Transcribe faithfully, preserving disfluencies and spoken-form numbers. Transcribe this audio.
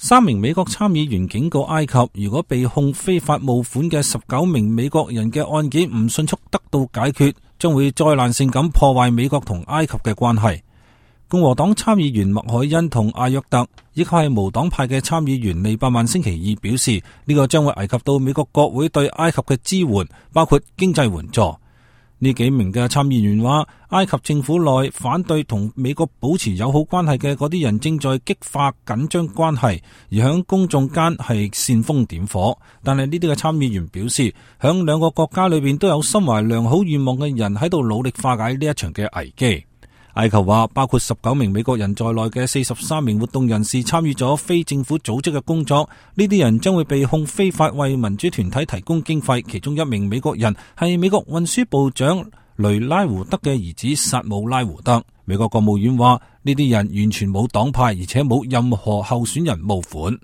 三名美國參議員警告埃及，如果被控非法募款嘅十九名美國人嘅案件唔迅速得到解決，將會災難性咁破壞美國同埃及嘅關係。共和黨參議員麥凱恩同阿約特，以及係無黨派嘅參議員利伯曼星期二表示，呢個將會危及到美國國會對埃及嘅支援，包括經濟援助。呢幾名嘅參議員話，埃及政府內反對同美國保持友好關係嘅嗰啲人正在激化緊張關係，而響公眾間係煽風點火。但係呢啲嘅參議員表示，響兩個國家裏邊都有心懷良好願望嘅人喺度努力化解呢一場嘅危機。埃及話，包括十九名美國人在內嘅四十三名活動人士參與咗非政府組織嘅工作，呢啲人將會被控非法為民主團體提供經費。其中一名美國人係美國運輸部長雷拉胡德嘅兒子薩姆拉胡德。美國國務院話，呢啲人完全冇黨派，而且冇任何候選人募款。